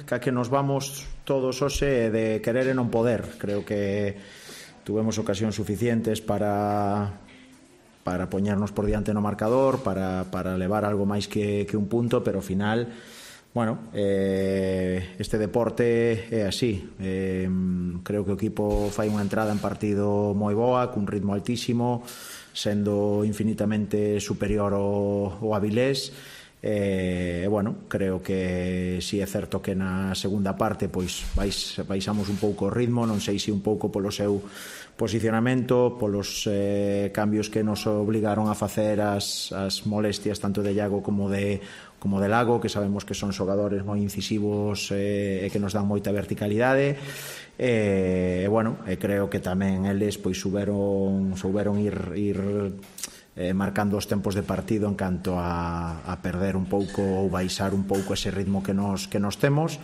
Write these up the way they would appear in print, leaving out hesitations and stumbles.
que nos vamos todos hoxe de querer e non poder. Creo que tuvemos ocasións suficientes para poñernos por diante no marcador, para levar algo máis que un punto, pero ao final, bueno, este deporte é así. Creo que o equipo fai unha entrada en partido moi boa, cun ritmo altísimo, sendo infinitamente superior ao Avilés. Bueno, creo que si é certo que na segunda parte pois baixamos un pouco o ritmo, non sei se un pouco polo seu posicionamento, polos cambios que nos obligaron a facer as molestias tanto de Iago como de Lago, que sabemos que son xogadores moi incisivos e que nos dan moita verticalidade. Bueno, creo que tamén eles pois souberon ir marcando os tempos de partido en canto a perder un pouco ou baixar un pouco ese ritmo que nos temos.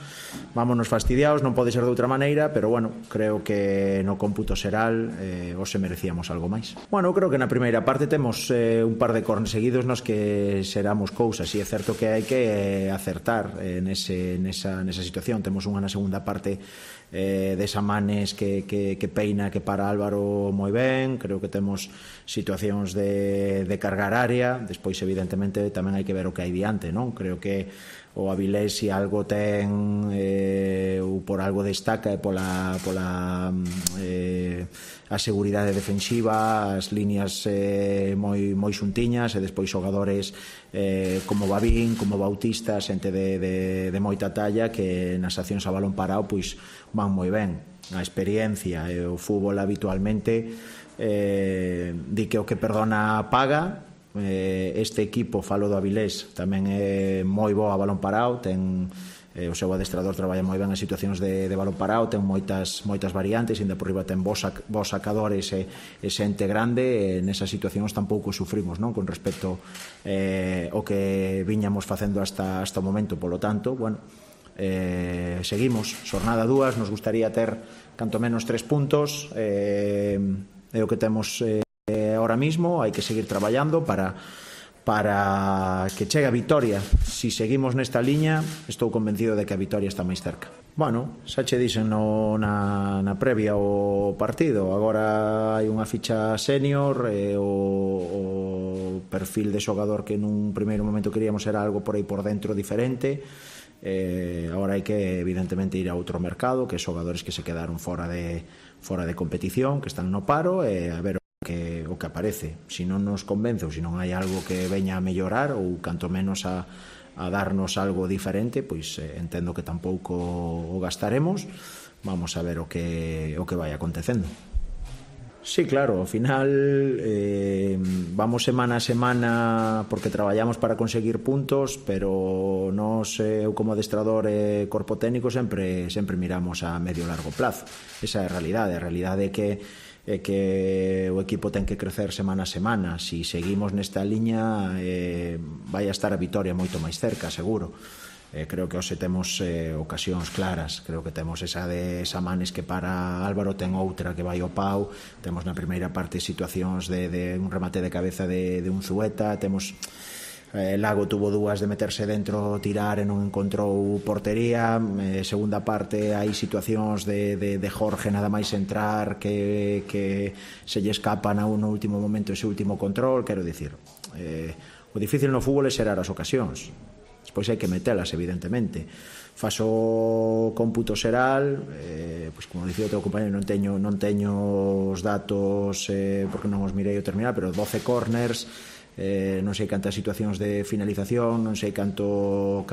Vámonos fastidiados, non pode ser de outra maneira, pero bueno, creo que no cómputo xeral hoxe merecíamos algo máis. Bueno, creo que na primeira parte temos un par de corners seguidos nos que xeramos cousas, e é certo que hai que acertar nesa situación. Temos unha na segunda parte de Samanes que peina, que para Álvaro moi ben. Creo que temos situacións de cargar área. Despois evidentemente tamén hai que ver o que hai diante, non? Creo que o Avilés, se algo ten ou por algo destaca, é pola a seguridade defensiva, as líneas moi xuntiñas, e despois xogadores como Babín, como Bautista, xente de moita talla, que nas accións a balón parado pois van moi ben. A experiencia e o fútbol habitualmente di que o que perdona paga. Este equipo, falo do Avilés, tamén é moi bo a balón parado, ten o seu adestrador traballa moi ben as situacións de balón parado, ten moitas variantes, ainda por riba ten bons sacadores e xente grande. Nesas situacións tampouco sufrimos, non, con respecto ao que viñamos facendo hasta o momento. Polo tanto, bueno, seguimos, xornada 2, nos gustaría ter canto menos 3 puntos, é o que temos ahora mismo. Hai que seguir traballando para que chegue a vitoria. Si seguimos nesta liña, estou convencido de que a vitoria está máis cerca. Bueno, xa che dixen na previa o partido. Agora hai unha ficha senior, o perfil de xogador que nun primeiro momento queríamos era algo por aí por dentro diferente. Agora hai que evidentemente ir a outro mercado, que xogadores que se quedaron fora de competición, que están no paro, e a ver o que aparece. Se non nos convence, ou se non hai algo que veña a mellorar, ou canto menos a darnos algo diferente, pois entendo que tampouco o gastaremos. Vamos a ver o que vai acontecendo. Sí, claro, ao final vamos semana a semana porque traballamos para conseguir puntos, pero nós, eu como adestrador e corpo técnico, sempre miramos a medio e largo plazo. Esa é a realidade. A realidade é que o equipo ten que crecer semana a semana. Si seguimos nesta liña, vai a estar a vitoria moito máis cerca, seguro. Creo que hoxe temos ocasións claras. Creo que temos esa de Samanes que para Álvaro, ten outra que vai ao pau. Temos na primeira parte situacións de un remate de cabeza de un Zueta. Temos Lago tuvo dúas de meterse dentro, tirar e non encontrou portería. Segunda parte hai situacións de Jorge nada máis entrar que se lle escapa no último momento ese último control. Quero dicir, o difícil no fútbol é xerar as ocasións. Despois hai que metelas, evidentemente. Faso cómputo xeral, pois como dicía o teu compañero, non teño os datos porque non os mirei ao terminar, pero 12 corners, non sei cantas situacións de finalización, non sei canto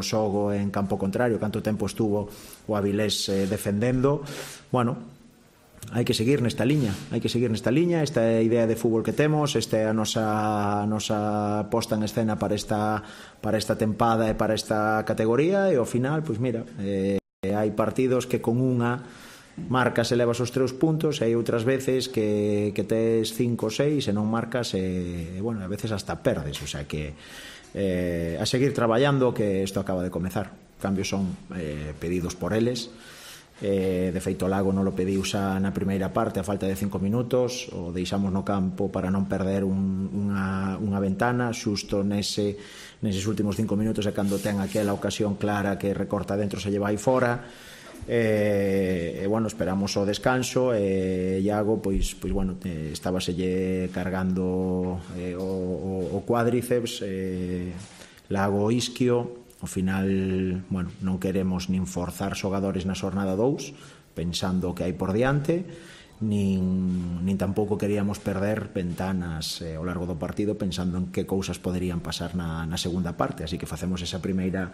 xogo en campo contrario, canto tempo estuvo o Avilés defendendo. Bueno, hai que seguir nesta liña, esta é a idea de fútbol que temos, esta é a nosa posta en escena para esta tempada e para esta categoría. E ao final, pois mira, hai partidos que con unha marcas e levas os 3 puntos, e hai outras veces que tes 5 ou 6 e non marcas, e bueno, a veces hasta perdes. O sea que a seguir traballando, que isto acaba de comezar. Cambios son pedidos por eles, De feito, Lago non lo pediu xa na primeira parte a falta de 5 minutos, o deixamos no campo para non perder unha ventana. Xusto neses últimos 5 minutos é cando ten aquela ocasión clara que recorta dentro, se lleva aí fora. Bueno, esperamos o descanso. Iago, pois bueno, estábaselle cargando o cuádriceps, Lago isquio. Ao final, bueno, non queremos nin forzar xogadores na xornada 2 pensando o que hai por diante, nin tampouco queríamos perder ventanas ao largo do partido pensando en que cousas poderían pasar na segunda parte, así que facemos esa primeira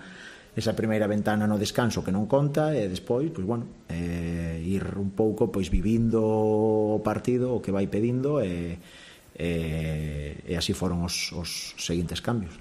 ventana no descanso que non conta, e despois, pois bueno, ir un pouco pois vivindo o partido, o que vai pedindo, e así foron os seguintes cambios.